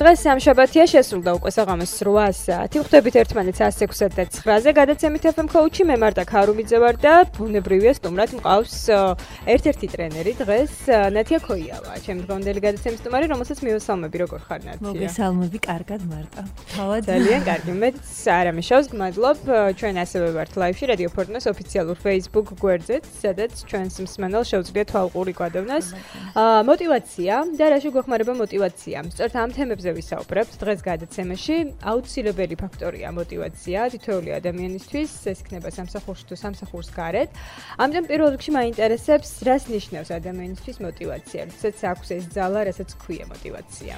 დღეს სამშაბათია შესრულდა უკვე საღამოს 8 საათი. ვხვდებით ერთმანეთს 106-9-ზე. გადაცემით FM Coach-ი მე მართა ქარუმიძე ვარ და ბუნებრივია სტუმრად მყავს ერთ-ერთი ტრენერი დღეს ნათია ქოიავა. ჩემი დღევანდელი გადაცემის სტუმარი, რომელსაც მივესალმები, როგორ ხარ ნათია? მოგესალმები, კარგად მარტა. თავად ძალიან კარგი. მეც არ ამეშავს, გმადლობ. ჩვენ ასევე ვართ live-ში Radio Fortnite ოფიციალურ Facebook გვერდზეც, სადაც ჩვენს მსმენელს შეუძლიათ თვალყური გვადევნას. მოტივაცია და რა შეგვეხმარება მოტივაცია. სწორედ ამ თემებზე ვისაუბრებთ დღეს გადაცემაში. აუცილებელი ფაქტორია მოტივაცია თითოეული ადამიანისთვის, ეს იქნება სამსახურში თუ სამსახურს გარეთ. ამიტომ პირველ რიგში მაინტერესებს, რას ნიშნავს ადამიანისთვის მოტივაცია, როდესაც აქვს ეს ძალა, რასაც ქვია მოტივაცია.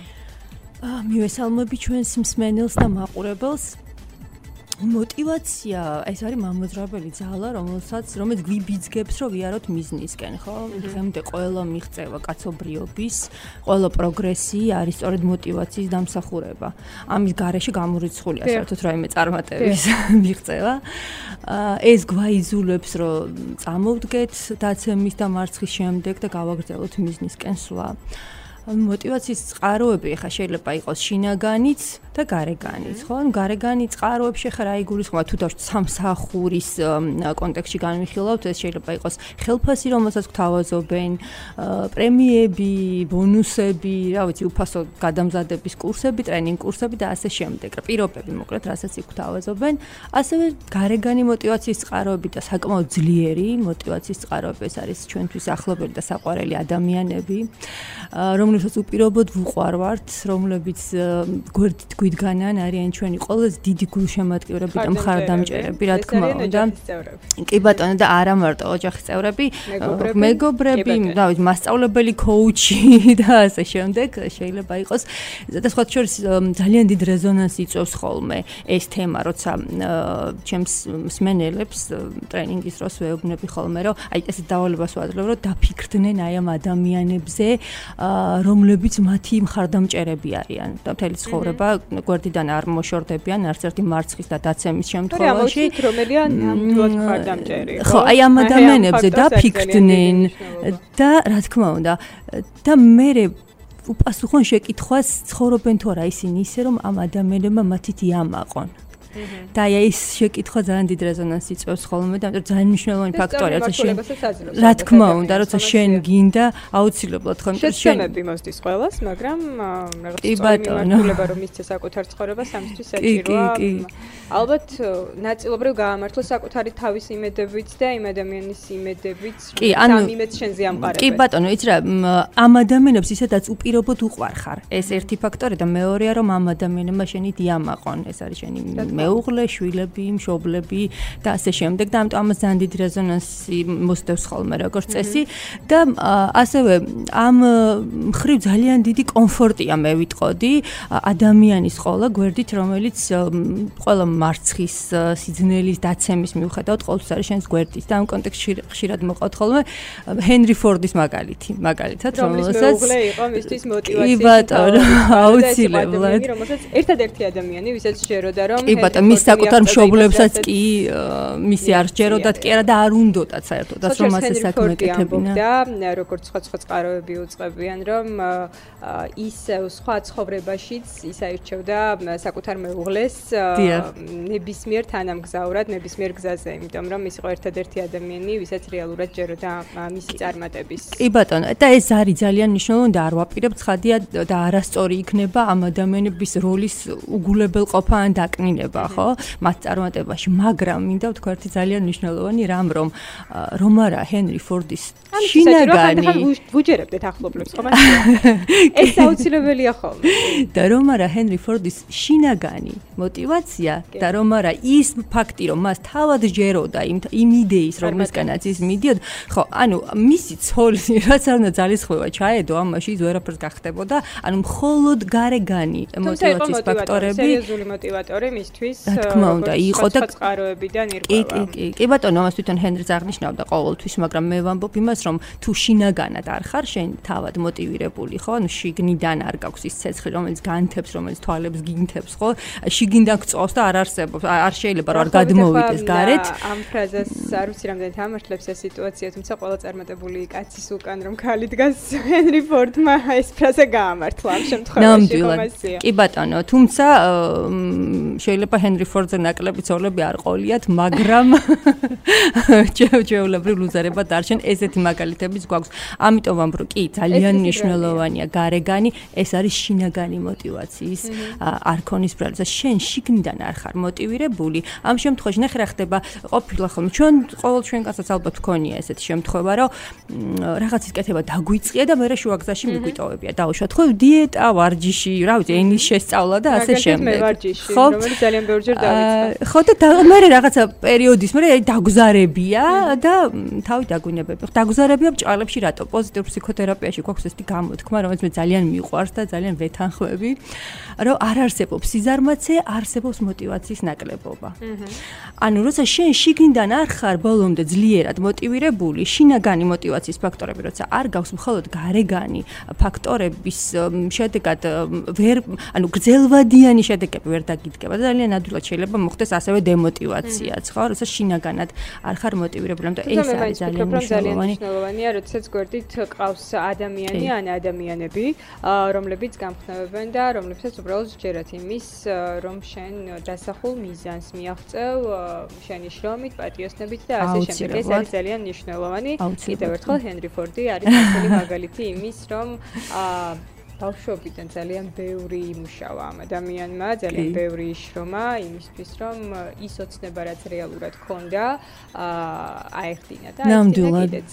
მივესალმები ჩვენს მსმენელს და მაყურებელს. მოტივაცია, ეს არის მამოძრავებელი ძალა, რომელიც გვიბიძგებს, რომ ვიაროთ მიზნისკენ, ხო? დღემდე ყველა მიღწევა კაცობრიობის, ყველა პროგრესი არის სწორედ მოტივაციის დამსახურება. ამის გარეშე გამორიცხულია საერთოდ რაიმე წარმატების მიღწევა. ეს გვაიძულებს, რომ წამოვდგეთ დაცემის და მარცხის შემდეგ და გავაგრძელოთ მიზნისკენ სვლა. მოტივაციის წყაროები ხა შეიძლება იყოს შინაგანიც და გარეგანიც, ხო? გარეგანი წყაროებში ხა რა იგულისხმება თუ დავთ სამსახურის კონტექსტში განვიხილავთ, ეს შეიძლება იყოს ხელფასი, რომელსაც გთავაზობენ, პრემიები, ბონუსები, რა ვიცი, უფასო გადამზადების კურსები, ტრენინგ კურსები და ასე შემდეგ. პირობები, მოკლედ, რასაც იქ გთავაზობენ. ასევე გარეგანი მოტივაციის წყაროები და საკმაოდ ძლიერი მოტივაციის წყაროები, ეს არის ჩვენთვის ახლობელი და საყვარელი ადამიანები, რომლებსაც უპირობოდ ვუყვარვართ, რომლებიც გვერდით გვიდგანან, არიან ჩვენი ყველაზე დიდი გულშემატკივრები და მხარდამჭერები, რა თქმა უნდა. კი ბატონო, და არა მარტო ოჯახის წევრები, მეგობრები, რა ვიცი, მასწავლებელი, კოუჩი და ასე შემდეგ შეიძლება იყოს. და სხვა შორის ძალიან დიდ რეზონანსს იწვევს ხოლმე ეს თემა, როცა ჩემს მსმენელებს ტრენინგის დროს ვეუბნები ხოლმე, რომ აი ესე დავალებას ვაძლევ, რომ დაფიქრდნენ აი ამ ადამიანებზე, რომლებიც მათი მხარდამჭერები არიან და მთელი ცხოვრება გვერდიდან არ მოშორდებიან არც ერთი მარცხის და დაცემის შემთხვევაში. რომელია ნამდვილად მხარდამჭერი. ხო, აი ამ ადამიანებზე დაფიქრდნენ და რა თქმა უნდა და მე უპასუხონ შეკითხვას, ცხოვრობენ თუ არა ისინი ისე, რომ ამ ადამიანებმა მათით იამაყონ. და ეს შეკითხვა ძალიან დიდ რეზონანსს იწვევს ხოლმე და ძალიან მნიშვნელოვანი ფაქტორია, როცა შენ რა თქმა უნდა, როცა შენ გინდა აუცილებლად ხო, იმიტომ შემები მოსდის ყველას, მაგრამ რაღაც მიმართულება რომ მისცე საკუთარ ცხოვრებას, ამისთვის საჭიროა. ალბათ ნაწილობრივ გაამართლოს საკუთარი თავის იმედებიც და იმ ადამიანის იმედებიც, რომ იმედს შენზე ამყარებენ. კი ბატონო, იცი რა, ამ ადამიანებს ისედაც უპირობოდ უყვარხარ. ეს ერთი ფაქტორია და მეორეა, რომ ამ ადამიანებმა შენით იამაყონ. ეს არის შენი მეუღლე, შვილები, მშობლები და ასე შემდეგ და ამიტომ ამას ძალიან დიდი რეზონანსი მოსდევს ხოლმე როგორც წესი და ასევე ამ მხრივ ძალიან დიდი კომფორტია მე ვიტყოდი ადამიანის ყოლა გვერდით, რომელიც ყველა მარცხის სიძნელის დაცემის მიუხედავად ყოველთვის არის შენს გვერდით და ამ კონტექსტში ხშირად მოყავთ ხოლმე ჰენრი ფორდის მაგალითად, რომელსაც მეუღლე იყო მისთვის მოტივაციის. კი ბატონო, აუცილებლად. რომელსაც ერთადერთი ადამიანი, ვისაც შეეროდა რომ მის საკუთარ მშობლებსაც კი მისი არ სჯეროდათ კი არა და არ უნდოდათ საერთოდ რომ ასე საქმე ეკეთებინა. და როგორც სხვა წყაროები უწყებიან, რომ ისევ სხვა ცხოვრებაშიც ის აირჩევდა საკუთარ მეუღლეს ნებისმიერ თანამგზავრად, ნებისმიერ გზაზე, იმიტომ რომ ის იყო ერთადერთი ადამიანი, ვისაც რეალურად სჯეროდა მისი წარმატების. კი ბატონო, და ეს არის ძალიან მნიშვნელოვანი და არ ვაპირებ ცხადია და არასწორი იქნება ამ ადამიანების როლის უგულებელყოფა ან დაკნინება. ხო, მათ წარმატებაში, მაგრამ მინდა ვთქვა ერთი ძალიან მნიშვნელოვანი რამ, რომ არა ჰენრი ფორდის შინაგანი ვუჯერებდეთ ახლობლებს, ხო მაგრამ ეს აუცილებელია ხოლმე. და რომ არა ჰენრი ფორდის შინაგანი მოტივაცია და რომ არა ის ფაქტი, რომ მას თავად ჯეროდა იმ იდეის, რომლისგანაც ის მიდიოდა, ხო, ანუ მისი ცოლი რაც არ უნდა ძალისხმევა ჩაედო ამაში, ის ვერაფერს გახდებოდა, ანუ მხოლოდ გარეგანი მოტივაციის ფაქტორები, სერიოზული მოტივატორი მისთვის მისთვის რა თქმა უნდა იყო და წყაროებიდან ირკვევა. კი ბატონო, ამას თვითონ ჰენრიც აღნიშნავდა ყოველთვის, მაგრამ მე ვამბობ იმას, რომ თუ შინაგანად არ ხარ შენ თავად მოტივირებული, ხო? ანუ შიგნიდან არ გაქვს ის ცეცხლი, რომელიც განთებს, რომელიც თვალებს გინთებს, ხო? შიგნიდან გწოვს და არ არსებობს, არ შეიძლება რომ არ გადმოვიდეს გარეთ. ამ ფრაზას არ ვიცი რამდენად ამართლებს ეს სიტუაცია, თუმცა ყველა წარმატებული კაცის უკან რომ ქალი დგას, ჰენრი ფორდმა ეს ფრაზა გაამართლა ამ შემთხვევაში კომასია. კი ბატონო, თუმცა შეიძლება ჰენრი ფორდზე ნაკლები ცოლები არ ყოლიათ, მაგრამ ჩვეულებრივ ლუზერება დარჩენ, ესეთი მაგალითებიც გვაქვს. ამიტომ ვამბობ, კი, ძალიან მნიშვნელოვანია გარეგანი, ეს არის შინაგანი მოტივაციის არქონის ბრალს. შენ შიგნიდან არ ხარ მოტივირებული, ამ შემთხვევაში ნახე რა ხდება, ყოფილა ხოლმე ყოველ ჩვენ კაცსაც ალბათ გქონია ესეთი შემთხვევა, რომ რაღაცის კეთება დაგვიწყია და მე შუაგზაში მიგვიტოვებია. დაუშვათ ხო დიეტა, ვარჯიში, რა ვიცი, ენის შესწავლა და ასე შემდეგ. მე ვარჯიში, რომელიც ძალიან ბევრჯერ დავიწყე. ხო და მე რაღაცა პერიოდის მე დაგზარებია და თავი დაგვინებები. დაგზარებია ბჭყალებში რატო? პოზიტიურ ფსიქოთერაპიაში გვაქვს ესეთი გამოთქმა, რომელიც მე ძალიან მიყვარს და ძალიან ვეთანხმები, რომ არ არსებობს სიზარმაცე, არსებობს მოტივაციის ნაკლებობა. ანუ როცა შენ შიგნიდან არ ხარ ბოლომდე ძლიერად მოტივირებული, შინაგანი მოტივაციის ფაქტორები როცა არ გაქვს, მხოლოდ გარეგანი ფაქტორების შედეგად ანუ გრძელვადიანი შედეგები ვერ დაგიდგება და ძალიან ადვილად შეიძლება მოხდეს ასევე დემოტივაციაც, ხო? როცა შინაგანად არ ხარ მოტივირებული, ამიტომ ეს არის ძალიან მნიშვნელოვანია, როდესაც გვერდით ყავს ადამიანი ან ადამიანები, რომლებიც გამხნევებენ და რომლებსაც უბრალოდ სჯერათ იმის, რომ შენ დასახულ მიზანს მიაღწევ შენი შრომით, პატიოსნებით და ასე შემდეგ. ეს არის ძალიან მნიშვნელოვანი. კიდევ ერთხელ ჰენრი ფორდი არის ასეთი მაგალითი იმის, რომ ბავშვობიდან ძალიან ბევრი იმუშავა ამ ადამიანმა, ძალიან ბევრი შრომა იმისთვის, რომ ის ოცნება, რაც რეალურად ჰქონდა, აეხდინა და კიდეც.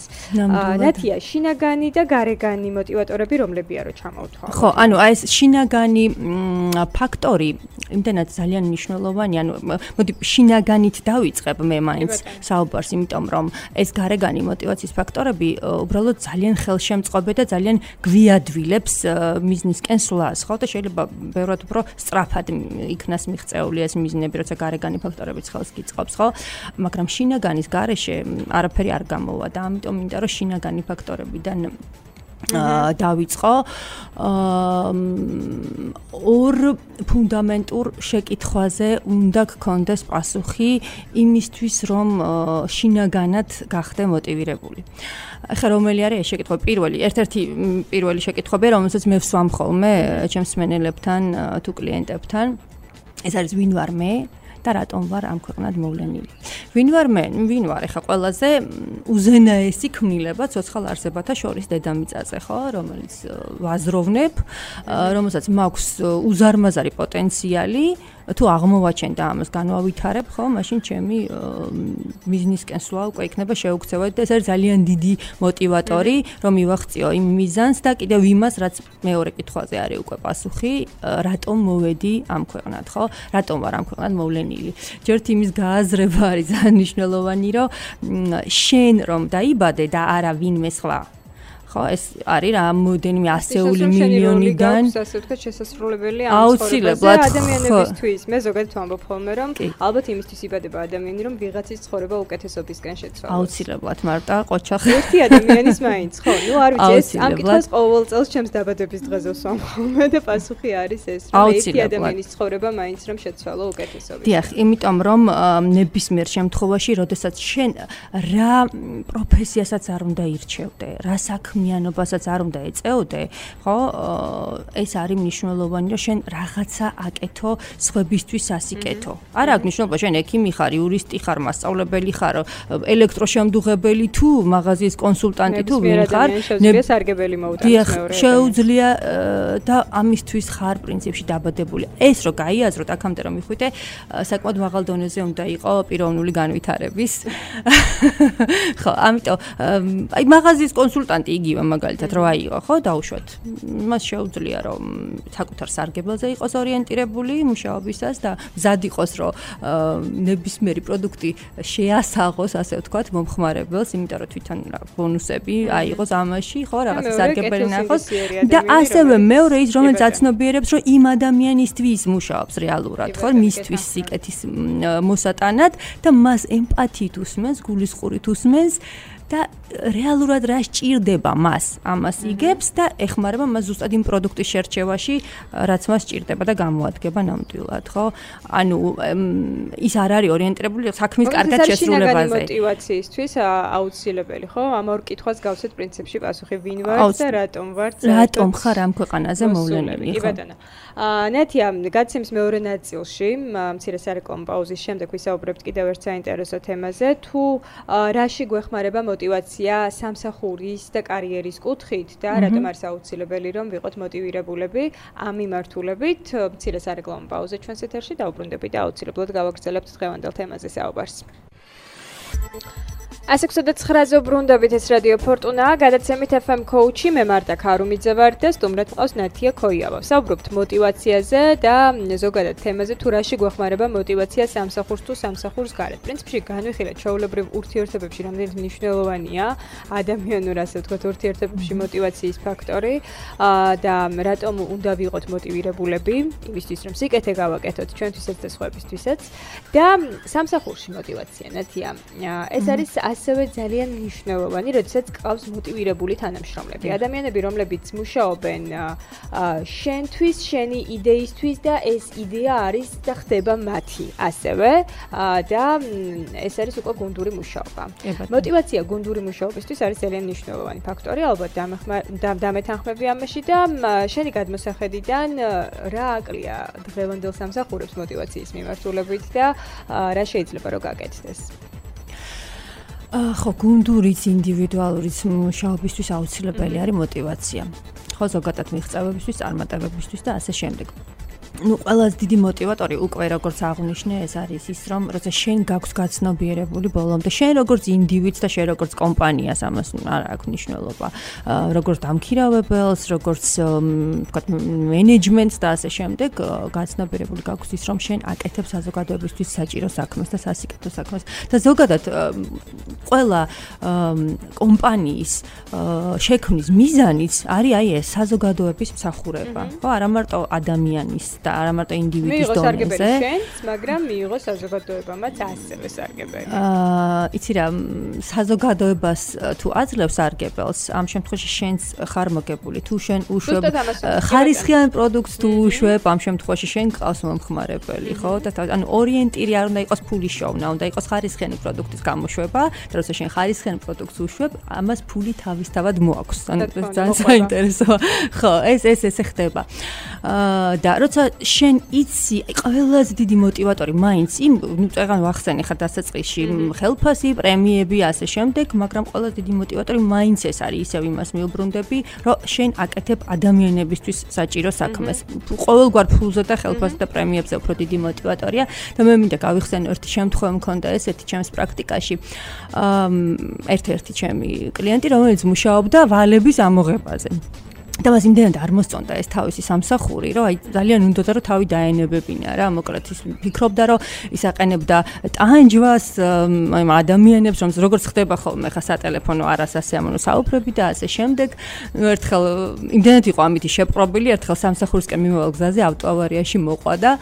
ნათია, შინაგანი და გარეგანი მოტივატორები რომლებია რო ჩამოვთვალო? ხო, ანუ აი ეს შინაგანი ფაქტორი იმდენად ძალიან მნიშვნელოვანია, ანუ მოდი შინაგანით დავიწყებ მე მაინც საუბარს, იმიტომ რომ ეს გარეგანი მოტივაციის ფაქტორები უბრალოდ ძალიან ხელშემწყობი და ძალიან გვიადვილებს მიზნისკენ სვლას, ხო და შეიძლება ბევრად უფრო სწრაფად იქნას მიღწეული ეს მიზნები, როცა გარეგანი ფაქტორებიც ხელს გიწყობს, ხო? მაგრამ შინაგანის გარეშე არაფერი არ გამოვა და ამიტომ მინდა რომ შინაგანი ფაქტორებიდან დავიწყო ორ ფუნდამენტურ შეკითხვაზე უნდა გქონდეს პასუხი იმისთვის, რომ შინაგანად გახდე მოტივირებული. ახლა რომელი არის ეს შეკითხვა? ერთ-ერთი პირველი შეკითხვები, რომელსაც მე ვსვამ ხოლმე ჩემს მსმენელებთან თუ კლიენტებთან, ეს არის ვინ ვარ მე? და რატომ ვარ ამ ქვეყნად მოვლენილი. ვინ ვარ მე? ვინ ვარ? ეხა ყველაზე უზენაესი ქმნილება ცოცხალ არსებათა შორის დედამიწაზე, ხო, რომელიც ვაზროვნებ, რომელსაც მაქვს უზარმაზარი პოტენციალი, თუ აღმოვაჩენ და ამას განვავითარებ, ხო, მაშინ ჩემი მიზნისკენ სვლა უკვე იქნება შეუქცევადი და ეს არის ძალიან დიდი მოტივატორი, რომ მივახციო იმ მიზანს და კიდევ იმას, რაც მეორე კითხვაზე არის უკვე პასუხი, რატომ მოვედი ამ ქვეყნად, ხო? რატომ ვარ ამ ქვეყნად მოვლენილი? ჯერთ იმის გააზრება არის ძალიან მნიშვნელოვანი, რომ შენ რომ დაიბადე და არა ვინმე სხვა. ხო, ეს არის რამოდენიმე ასეული მილიონიდან ასე ვთქვათ შესაძლებელი ამ ცხოვრებაზე ადამიანებისთვის. მე ზოგადად ვამბობ ხოლმე, რომ ალბათ იმისთვის იბადება ადამიანი, რომ ვიღაცის ცხოვრება უკეთესობისკენ შეცვალოს. აუცილებლად, მარტა ყოჩახი. ერთი ადამიანის მაინც, ხო? ნუ არ ვიცი, ეს ამ კითხვას ყოველ წელს ჩემს დაბადების დღეზე ვსვამ ხოლმე და პასუხი არის ეს, რომ ერთი ადამიანის ცხოვრება მაინც რომ შეცვალო უკეთესობისკენ. დიახ, იმიტომ რომ ნებისმიერ შემთხვევაში, როდესაც შენ რა პროფესიასაც არ უნდა ირჩევდე, რა საქმიანობასაც არ უნდა ეწეოდე, ხო? ეს არის მნიშვნელოვანი, რომ შენ რაღაცა აკეთო სხვებისთვის ასიკეთო. არ აქვს მნიშვნელობა, შენ ექიმი ხარ, იურისტი ხარ, მასწავლებელი ხარ, ელექტროშემდუღებელი თუ მაღაზიის კონსულტანტი თუ ვინ ხარ, შეუძლია სარგებელი მოუტანოს მეორე. შეუძლია და ამისთვის ხარ პრინციპში დაბადებული. ეს რო გაიაზროთ, აქამდე რომ მიხვიდე, საკმაოდ მაღალ დონეზე უნდა იყო პიროვნული განვითარების. ხო, ამიტომ აი მაღაზიის კონსულტანტი იგი იგივე მაგალითად რა აიღო, ხო, დაუშვათ. მას შეუძლია რომ საკუთარ სარგებელზე იყოს ორიენტირებული მუშაობისას და მზად იყოს რომ ნებისმიერი პროდუქტი შეასაღოს, ასე ვთქვათ, მომხმარებელს, იმიტომ რომ თვითონ ბონუსები აიღოს ამაში, ხო, რაღაც სარგებელი ნახოს და ასევე მეორე ის რომელიც აცნობიერებს რომ იმ ადამიანისთვის მუშაობს რეალურად, ხო, მისთვის სიკეთის მოსატანად და მას ემპათიით უსმენს, გულისყურით უსმენს და რეალურად რა სჭირდება მას, ამას იგებს და ეხმარება მას ზუსტად იმ პროდუქტის შერჩევაში, რაც მას სჭირდება და გამოადგება ნამდვილად, ხო? ანუ ის არ არის ორიენტირებული საქმის კარგად შესრულებაზე. მოტივაციისთვის აუცილებელი, ხო? ამ ორ კითხვას გავცეთ პრინციპში პასუხი, ვინ ვარ და რატომ ვარ? რატომ ხარ ამ ქვეყანაზე მოვლენილი, ხო? კი ბატონო. ნათია, გაცემის მეორე ნაწილში, მცირე სარეკლამო პაუზის შემდეგ ვისაუბრებთ კიდევ ერთ საინტერესო თემაზე, თუ რაში გვეხმარება მოტივაცია სამსახურის და კარიერის კუთხით და რატომ არის აუცილებელი რომ ვიყოთ მოტივირებულები ამ მიმართულებით. მცირე სარეკლამო პაუზა ჩვენს ეთერში დაუბრუნდებით და აუცილებლად გავაგრძელებთ დღევანდელ თემაზე საუბარს. ასე ვსვდეთ 9-ზე ბრუნდებით, ეს რადიო ფორტუნაა, გადაცემით FM coach-ი, მე მარტა ქარუმიძე ვარ და სტუმრად ყავს ნათია ქოიავა. ვსაუბრობთ მოტივაციაზე და ზოგადად თემაზე, თუ რაში გვეხმარება მოტივაცია სამსახურს თუ სამსახურს გარეთ. პრინციპში განვიხილეთ ჩვეულებრივ ურთიერთობებში რამდენად მნიშვნელოვანია ადამიანურ, ასე ვთქვათ, ურთიერთობებში მოტივაციის ფაქტორი და რატომ უნდა ვიყოთ მოტივირებულები, იმისთვის რომ სიკეთე გავაკეთოთ ჩვენთვისაც და სხვებისთვისაც და სამსახურში მოტივაცია, ნათია, ეს არის ასევე ძალიან მნიშვნელოვანი, როდესაც ყავს მოტივირებული თანამშრომლები. ადამიანები, რომლებიც მუშაობენ შენთვის, შენი იდეისთვის და ეს იდეა არის და ხდება მათი ასევე და ეს არის უკვე გუნდური მუშაობა. მოტივაცია გუნდური მუშაობისთვის არის ძალიან მნიშვნელოვანი ფაქტორი, ალბათ დამეთანხმები ამაში და შენი გადმოსახედიდან რა აკლია დღევანდელ სამსახურებს მოტივაციის მიმართულებით და რა შეიძლება რომ გაკეთდეს? ხო, გუნდურიც, ინდივიდუალურიც მუშაობისთვის აუცილებელი არის მოტივაცია. ხო, ზოგადად მიღწევებისთვის, წარმატებებისთვის და ასე შემდეგ. ყველაზე დიდი მოტივატორი უკვე როგორც აღნიშნე, ეს არის ის, რომ როცა შენ გაქვს გაცნობიერებული ბოლომდე, შენ როგორც ინდივიდს და შენ როგორც კომპანიას, ამას არ აქვს მნიშვნელობა. როგორც დამქირავებელს, როგორც ვთქვათ, მენეჯმენტს და ასე შემდეგ, გაცნობიერებული გაქვს ის, რომ შენ აკეთებ საზოგადოებისთვის საჭირო საქმეს და სასიკეთო საქმეს. და ზოგადად ყველა კომპანიის შექმნის მიზანიც არის აი ეს საზოგადოების მსახურება. ხო, არა მარტო ადამიანის და არა მარტო ინდივიდის დონეზე. მიიღო სარგებელი შენც, მაგრამ მიიღო საზოგადოებამაც ასევე სარგებელი. იცი რა, საზოგადოებას თუ აძლევს სარგებელს, ამ შემთხვევაში შენც ხარ მოგებული. თუ შენ უშვებ ხარისხიან პროდუქტს თუ უშვებ, ამ შემთხვევაში შენ გყავს მომხმარებელი, ხო? და ანუ ორიენტირი არ უნდა იყოს ფულის შოვნა, უნდა იყოს ხარისხიანი პროდუქტის გამოშვება, და როცა შენ ხარისხიან პროდუქტს უშვებ, ამას ფული თავისთავად მოაქვს. ანუ ძალიან საინტერესოა. ხო, ეს ხდება. და როცა შენ იცი, ყველაზე დიდი მოტივატორი მაინც იმ, ნუ წეგან ვახსენე ხა დასაწყისში, ხელფასი, პრემიები, ასე შემდეგ, მაგრამ ყველაზე დიდი მოტივატორი მაინც ეს არის, ისევ იმას მიუბრუნდები, რომ შენ აკეთებ ადამიანებისთვის საჭირო საქმეს. ყოველგვარ ფულზე და ხელფასზე და პრემიებზე უფრო დიდი მოტივატორია და მე მინდა გავიხსენო ერთი შემთხვევა მქონდა ესეთი ჩემს პრაქტიკაში. ერთ-ერთი ჩემი კლიენტი, რომელიც მუშაობდა ვალების ამოღებაზე. და მას იმდენად არ მოსწონდა ეს თავისი სამსახური, რომ აი ძალიან უნდოდა რომ თავი დაენებებინა რა, მოკლედ ის ფიქრობდა რომ ის აყენებდა ტანჯვას აი ადამიანებს, რომ როგორც ხდება ხოლმე ხა სატელეფონო არასასიამოვნო საუბრები და ასე შემდეგ. ერთხელ იმდენად იყო ამითი შეპყრობილი, ერთხელ სამსახურისკენ მიმავალ გზაზე ავტოავარიაში მოყვა და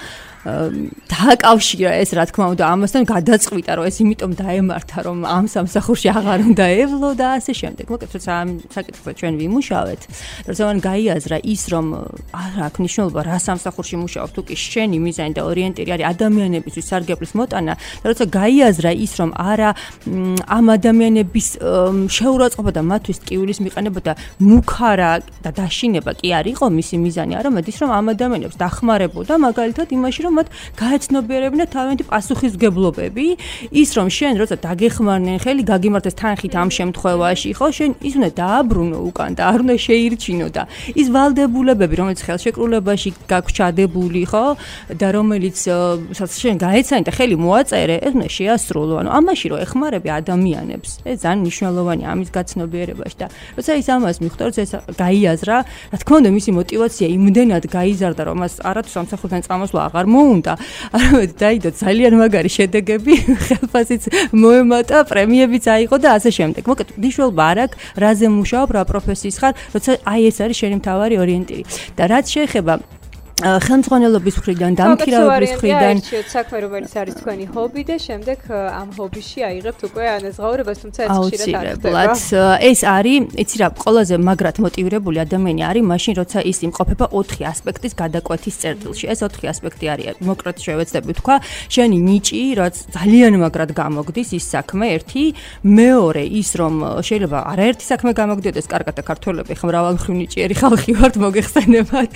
დააკავშირა ეს რა თქმა უნდა ამასთან გადაწყვიტა რომ ეს იმიტომ დაემართა რომ ამ სამსახურში აღარ უნდა ევლო და ასე შემდეგ. მოკლედ როცა ამ საკითხზე ჩვენ ვიმუშავეთ, როცა მან გაიაზრა ის რომ არ აქვს მნიშვნელობა რა სამსახურში მუშაობ, თუ კი შენი მიზანი და ორიენტირი არის ადამიანებისთვის სარგებლის მოტანა და როცა გაიაზრა ის რომ არა ამ ადამიანების შეურაცხყოფა და მათთვის ტკივილის მიყენება და მუქარა და დაშინება კი არ იყო მისი მიზანი, არამედ ის რომ ამ ადამიანებს დახმარებოდა მაგალითად იმაში რომ რომ მათ გაეცნობიერებინა თავიანთი პასუხისმგებლობები, ის რომ შენ როცა დაგეხმარნენ ხელი გაგიმართეს თანხით ამ შემთხვევაში, ხო, შენ ის უნდა დააბრუნო უკან და არ უნდა შეირჩინო და ის ვალდებულებები, რომელიც ხელშეკრულებაში გაქვს ჩადებული, ხო, და რომელიც შენ გაეცანი და ხელი მოაწერე, ეს უნდა შეასრულო. ანუ ამაში რომ ეხმარები ადამიანებს, ეს ძალიან მნიშვნელოვანია ამის გაცნობიერებაში და როცა ის ამას მიხვდებს, ეს გაიაზრა, რა თქმა უნდა, მისი мотиваცია იმდენად გაიზარდა, რომ მას არათუ სამსახურიდან წამოსვლა აღარ მოუნდა, არამედ დაიდო ძალიან მაგარი შედეგები, ხელფასიც მოემატა, პრემიებიც აიღო და ასე შემდეგ. მოკლედ, მნიშვნელობა არ აქვს, რაზე მუშაობ, რა პროფესიის ხარ, როცა აი ეს არის შენი მთავარი ორიენტირი. და რაც შეეხება ხელმძღვანელობის მხრიდან, დამქირავების მხრიდან, საქმე რომელიც არის თქვენი ჰობი და შემდეგ ამ ჰობიში აიღებთ უკვე ანაზღაურებას, თუმცა ეს ხშირად არ ხდება. ეს არის, იცი რა, ყველაზე მაგრად მოტივირებული ადამიანი არის მაშინ, როცა ის იმყოფება 4 ასპექტის გადაკვეთის წერტილში. ეს 4 ასპექტი არის, მოკლედ შევეცდები თქვა, შენი ნიჭი, რაც ძალიან მაგრად გამოგდის ის საქმე, ერთი, მეორე ის რომ შეიძლება არაერთი საქმე გამოგდიოდეს, კარგად და ქართველები ხა მრავალმხრივ ნიჭიერი ხალხი ვართ, მოგეხსენებათ,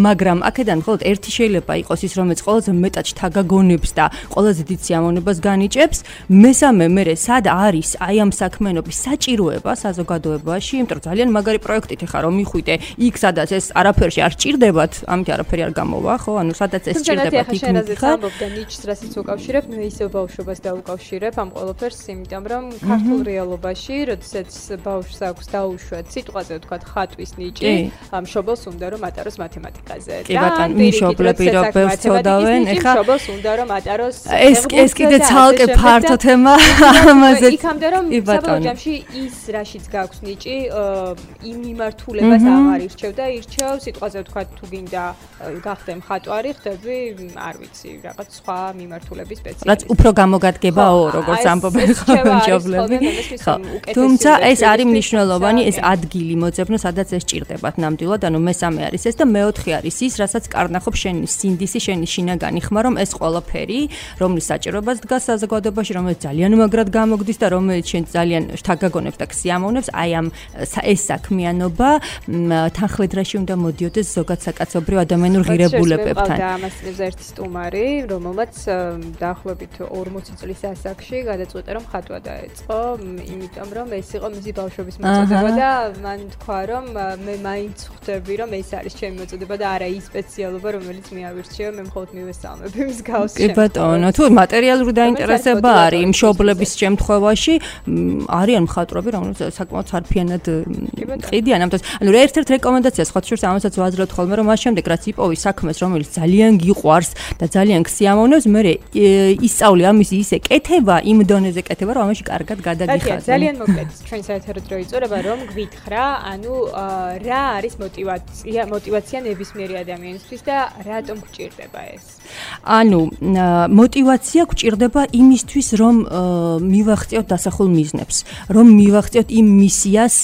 მაგრამ აქედან მხოლოდ ერთი შეიძლება იყოს ის, რომელიც ყველაზე მეტად შთაგაგონებს და ყველაზე დიდ სიამოვნებას განიჭებს. მესამე, მე სად არის აი ამ საქმიანობის საჭიროება საზოგადოებაში, იმიტომ რომ ძალიან მაგარი პროექტით ხარ რომ მიხვიდე იქ, სადაც ეს არაფერში არ ჭირდებათ, ამით არაფერი არ გამოვა, ხო? ანუ სადაც ეს ჭირდებათ იქ მიხარ. და ნიჭს რასაც უკავშირებ, მე ისევ ბავშვობას დაუკავშირებ ამ ყველაფერს, იმიტომ რომ ქართულ რეალობაში, როდესაც ბავშვს აქვს დაუშვათ სიტყვაზე ვთქვათ ხატვის ნიჭი, მშობელს უნდა რომ ატაროს მათემატიკაზე. მშობლები რო ბევრს წოდავენ, ეხა მშობელს უნდა რომ ატაროს ეს კიდე ცალკე ფართო თემა ამაზე. იქამდე რომ საბოლოო ჯამში ის რაშიც გაქვს ნიჭი, იმ მიმართულებას აღარ ირჩევ და ირჩევ სიტყვაზე ვთქვათ თუ გინდა გახდე მხატვარი, ხდები, არ ვიცი, რაღაც სხვა მიმართულების სპეციალისტი. რაც უფრო გამოგადგებაო, როგორც ამბობენ მშობლები. თუმცა ეს არის მნიშვნელოვანი, ეს ადგილი მოძებნო, სადაც ეს ჭირდებათ ნამდვილად, ანუ მესამე არის ეს და მეოთხე არის ის, რასაც კარნახობს შენი სინდისი, შენი შინაგანი ხმა, რომ ეს ყველაფერი, რომლის საჭიროებას დგას საზოგადოებაში, რომელიც ძალიან მაგრად გამოგდის და რომელიც შენ ძალიან შთაგაგონებს და სიამოვნებს, აი ამ ეს საქმიანობა თანხლედრაში უნდა მოდიოდეს ზოგად საკაცობრიო ადამიანურ ღირებულებებთან. და ამასწრებს ერთი სტუმარი, რომელმაც დაახლოებით 40 წლის ასაკში გადაწყვიტა რომ ხატვა დაეწყო, იმიტომ რომ ეს იყო მისი ბავშვობის მოწოდება და მან თქვა რომ მე მაინც ხვდები რომ ეს არის ჩემი მოწოდება და არა ის სპეციალობა, რომელიც მე ავირჩიე, მე მხოლოდ მივესალმებ იმის გავს. კი ბატონო, თუ მატერიალური დაინტერესება არის მშობლების შემთხვევაში, არიან მხატვრები, რომლებიც საკმაოდ სარფიანად ყიდიან ამ დროს. ანუ ერთ-ერთ რეკომენდაცია სხვა შორს ამასაც ვაძლევთ ხოლმე, რომ მას შემდეგ რაც იპოვი საქმეს, რომელიც ძალიან გიყვარს და ძალიან გსიამოვნებს, მე ისწავლე ამის ისე კეთება, იმ დონეზე კეთება, რომ ამაში კარგად გადაგიხადე. ძალიან მოკლედ, ჩვენ საერთოდ რო იწურება, რომ გვითხრა, ანუ რა არის мотиваცია ნებისმიერი ადამიანისთვის და რატომ გჭირდება ეს? ანუ мотиваცია გჭირდება იმისთვის, რომ მივახციოთ დასახულ მიზნებს, რომ მივახციოთ იმ მისიას,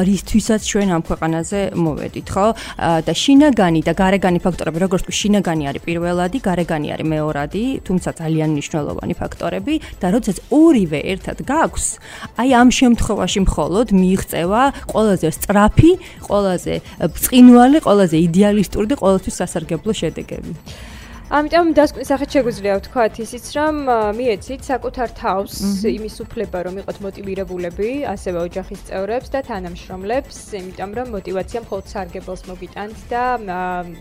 რისთვისაც ჩვენ ამ ქვეყანაზე მოვედით, ხო? და შინაგანი და გარეგანი ფაქტორები, როგორც ვთქვი, შინაგანი არის პირველადი, გარეგანი არის მეორადი, თუმცა ძალიან მნიშვნელოვანი ფაქტორები და როდესაც ორივე ერთად გაქვს, აი ამ შემთხვევაში მხოლოდ მიიღწევა ყველაზე სწრაფი, ყველაზე ბრწყინვალე, ყველაზე იდეალისტური და ყოველთვის სასარგებლო შედეგები. ამიტომ დასკვნის სახით შეგვიძლია ვთქვათ ისიც, რომ მიეცით საკუთარ თავს იმის უფლება, რომ იყოთ მოტივირებულები, ასევე ოჯახის წევრებს და თანამშრომლებს, იმიტომ რომ мотиваცია მხოლოდ სარგებელს მოგიტანთ და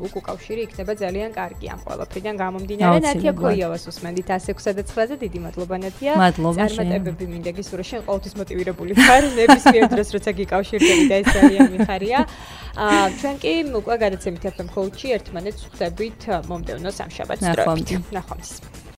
უკავშირი იქნება ძალიან კარგი ამ ყველაფრიდან გამომდინარე. ნათია ქოიავას უსმენდით 106-9-ზე, დიდი მადლობა ნათია. წარმატებები მინდა გისურვო, შენ ყოველთვის მოტივირებული ხარ, ნებისმიერ დროს როცა გიკავშირდები და ეს ძალიან მიხარია. ჩვენ კი უკვე გადაცემით FM Coach-ი ერთმანეთს ხვდებით მომდევნო სამშაბათს. ნახვამდის.